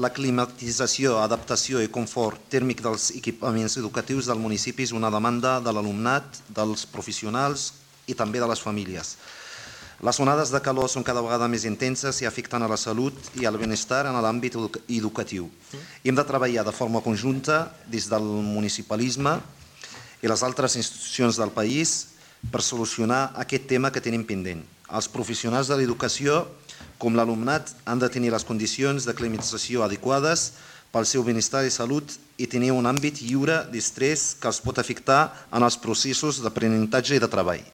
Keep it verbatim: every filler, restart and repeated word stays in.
La climatització, adaptació i confort tèrmic dels equipaments educatius del municipi és una demanda de l'alumnat, dels professionals i també de les famílies. Les onades de calor són cada vegada més intenses i afecten a la salut i al benestar en l'àmbit educatiu. Hem de treballar de forma conjunta des del municipalisme i les altres institucions del país per solucionar aquest tema que tenim pendent. Els professionals de l'educació, com l'alumnat, han de tenir les condicions de climatització adequades pel seu benestar i salut i tenir un àmbit lliure d'estrès que els pot afectar en els processos d'aprenentatge i de treball.